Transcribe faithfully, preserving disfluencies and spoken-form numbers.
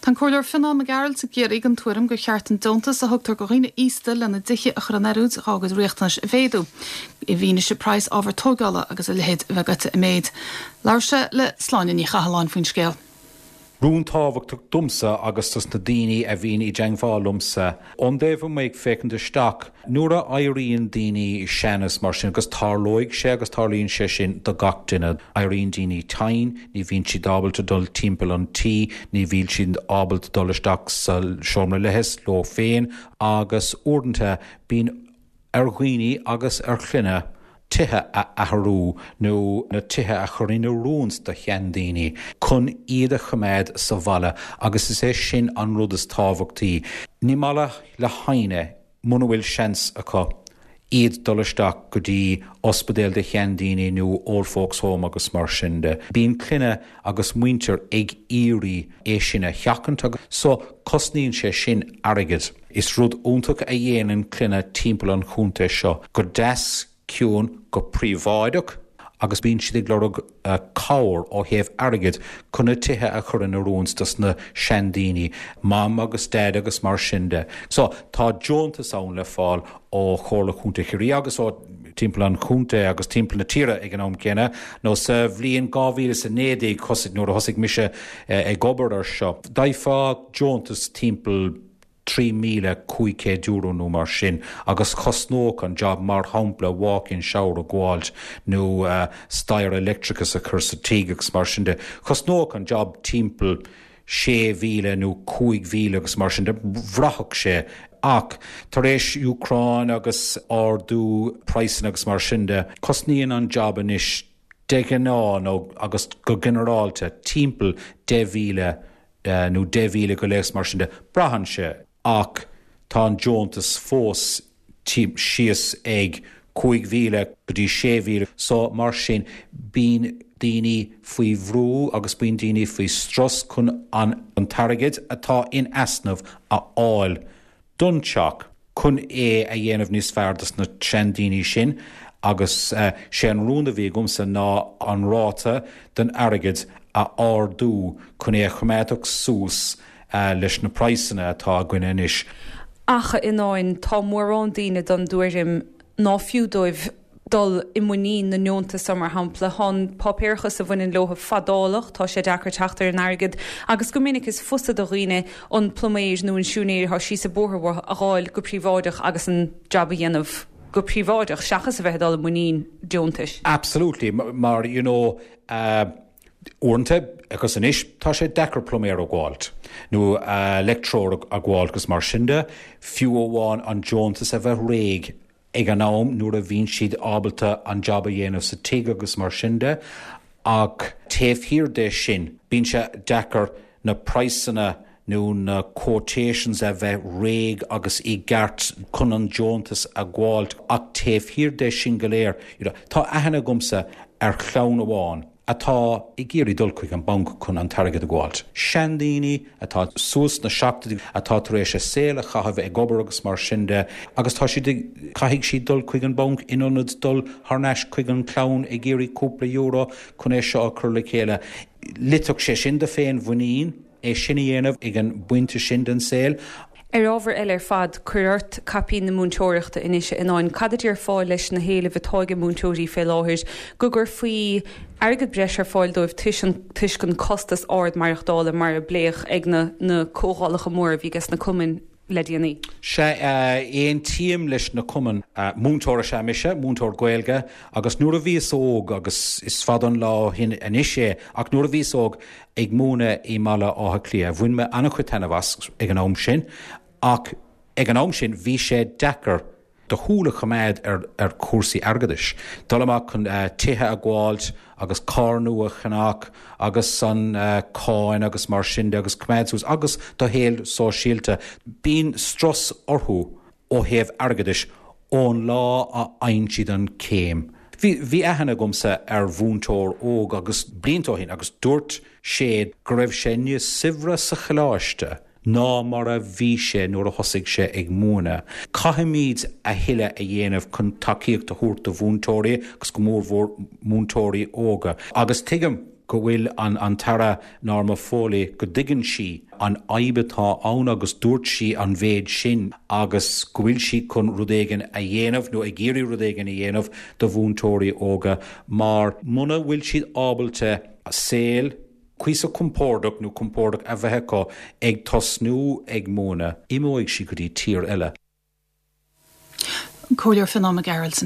Tá an Comhairleoir Fionán Mac Gearailt i gCiarraí den tuairim gur cheart an deontas a thugtar do dhaoine aosta lena dtithe a chur in oiriúint dá gcuid riachtanais a mhéadú. I bhfianaise praghas ábhar tógála agus a leithéid a bheith gaite i méid. Labhair sé le Sláine Ní Chathalláin faoin scéal. Rún tábhachtach domsa agus dos na daoine a bhíonn i dteagmháil liomsa. Ón dtaobh amuigh ag féachaint isteach, nuair a éiríonn daoine sean is mar sin agus tarlóidh sé agus tarlaíonn sé sin do gach duine. Éiríonn daoine tinn, ní bhíonn siad ábalta dul timpeall an tí, ní bhíonn siad ábalta dul isteach sa seomra leithis leo féin agus uaireanta bíonn ar dhaoine agus ar chlanna tithe a athrú nó na tithe a chur in oiriúint do sheandaoine chun iad a choimeád sa bhaile agus is é sin an rud is tábhachtaí. Ní maith le héinne muna bhfuil seans acu iad dul isteach go dtí ospidéal do sheandaoine nó old folks home agus mar sin de. Bíonn clainne agus muintir ag iarraidh é sin a sheachaint agus so cosnaíonn sé sin airgead. Is rud iontach a dhéanann clainne timpeall an chontae seo go deas ciúin go príobháideach agus bíonn siad ag lorg uh, cabhair ó thaobh airgid chun na tithe a chur in oiriúint dos na seandaoine, mam agus dad agus mar sin de. So tá deontas ann le fáil ó Chomhairle Chontae Chiarraí agus ó timpeall an chontae agus timpeall na tíre ag an am céanna, nó sa bhliain dhá mhíle is a naoi déag thosaigh nuair a thosaigh mise eh, ag obair ar seo. D'fhéadfá deontas timpeall trí míle cúig chéad euro nó mar sin agus chosnódh an job mar shampla walk-in shower a ghabháilt nó uh, staighre leictreachais a chur sa tigh agus mar sin de. Chosnódh an job timpeall sé mhíle nó cúig mhíle agus mar sin de bhraithfeadh sé ach tar éis Úcráin agus ardú praghsanna agus mar sin de cosnaíonn an job anois de ghnáth nó agus go ginearálta timpeall deich mhíle uh, nó deich mhíle go leith mar sin de braitheann sé ach tá an deontas fós síos ag cúig mhíle go dtí sé mhíle so mar sin bíonn daoine faoi bhrú agus bíonn daoine faoi strus chun an an t-airgead atá in easnamh a fháil don teach chun é a dhéanamh níos fearr dos na seandaoine sin agus uh, sé an rún a bhí agamsa ná an ráta den airgead a ardú chun é a choimeád suas uh, leis na praghsanna atá againn anois. Ach in áin tá mórán daoine den tuairim ná fiú dóibh dul i muinín na ndeontas mar shampla tá an páipéarachas a bhaineann leo fadálach tá sé deacair teacht ar an airgead agus go minic is fusa do dhaoine an pluiméir nó an siúinéir atá síos an bóthar a fháil go príobháideach agus an job a dhéanamh go príobháideach seachas a bheith dul i muinín deontais. Absolutely mar you know uh, uaireanta agus anois tá sé deacair pluiméir a fháilt nó uh, leictreoir a fháilt agus mar sin de fiú amháin an deontas a bheith réidh ag an am nuair a bhíonn siad ábalta an job a dhéanamh sa tigh agus mar sin de ach taobh thiar de sin bíonn sé deacair na praghsanna nó na quotations a bheith réidh agus i gceart chun an deontas a fháilt ach taobh thiar de sin go léir you know, tá aithne agamsa ar chlann amháin atá ag iarraidh dul chuig an banc chun an t-airgead a fháilt. Seandaoine atá suas na seachtóidí atá tar éis a saol a chaitheamh ag obair agus mar sin de agus tá siad caithfidh siad dul chuig an banc in ionad dul thar n-ais chuig an chlann ag iarraidh cúpla euro chun é seo a chur le chéile. Loitfeadh sé sin do féinmhuinín é sin a dhéanamh ag an bpointe sin den saol. Ar ábhar eile ar fad cuir ort caipín na múinteoireachta anois in áin cad a déarfá leis na héilimh atá ag múinteoirí fé láthair go gcuirfí airgead breise ar fáil dóibh toisc an costas ard maireachtála mar a pléadh ag na na comhdhálacha móra a bhí ag na cumainn le déanaí. Sé aontaím leis na cumainn múinteoir is ea mise, múinteoir Gaeilge, agus nuair a bhíos óg agus is fada an lá ó shin anois é ach nuair a bhíos óg ag múineadh i mBaile Átha Cliath, bhain mé an-chuid taitneamh as ag an am sin, ach ag an am sin bhí sé deacair do shúil a choimeád ar, ar chúrsaí airgeadais. Dul amach chun uh, tithe a fháilt agus carr nua a cheannach agus an uh, cáin agus mar sin de agus coimeád suas agus do shaol sóisialta. Bíonn strus orthu ó thaobh airgeadais ón lá a fhaigheann siad an céim. Bhí bhí aithne agamsa ar mhúinteoir óg agus blianta ó shin agus dúirt sé go raibh sé níos saibhre sa choláiste ná mar a bhí sé nuair a thosaigh sé ag múineadh. Caithfimid a thuilleadh a dhéanamh chun tacaíocht a thabhairt do mhúinteoirí agus go mórmhór múinteoirí óga. Agus tuigim go bhfuil an an tAire Norma Foley go dtuigeann sí an fhadhb atá ann agus dúirt sí an mhéid sin agus go bhfuil sí chun rud éigin a dhéanamh nó ag iarraidh rud éigin a dhéanamh do mhúinteoirí óga mar muna bhfuil siad ábalta saol cuíosach compordach nó compordach a bheith acu ag tosnú ag múineadh, imeoidh siad go dtí tír eile. Comhairleoir Fionán Mac Gearailt.